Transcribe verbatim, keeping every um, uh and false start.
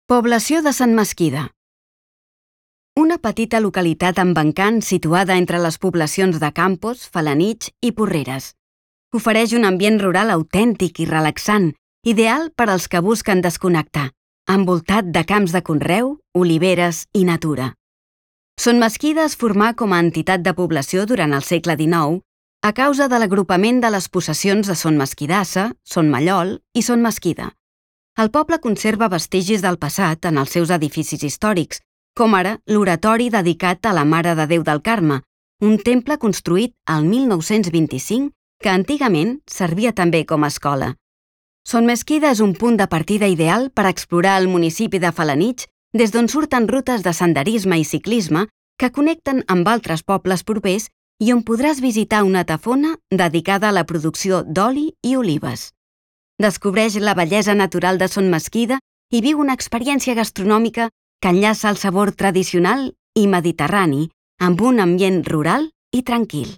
Població de Sant Mesquida. Una petita localitat amb encant situada entre les poblacions de Campos, Felanitx i Porreres. Ofereix un ambient rural autèntic i relaxant, ideal per als que busquen desconnectar, envoltat de camps de conreu, oliveres i natura. Son Mesquida es formà com a entitat de població durant el segle dinou a causa de l'agrupament de les possessions de Son Mesquidassa, Son Mallol i Son Mesquida. El poble conserva vestigis del passat en els seus edificis històrics, com ara l'oratori dedicat a la Mare de Déu del Carme, un temple construït al mil nou-cents vint-i-cinc que antigament servia també com a escola. Son Mesquida és un punt de partida ideal per explorar el municipi de Felanitx, des d'on surten rutes de senderisme i ciclisme que connecten amb altres pobles propers i on podràs visitar una tafona dedicada a la producció d'oli i olives. Descobreix la bellesa natural de Son Mesquida i viu una experiència gastronòmica que enllaça el sabor tradicional i mediterrani amb un ambient rural i tranquil.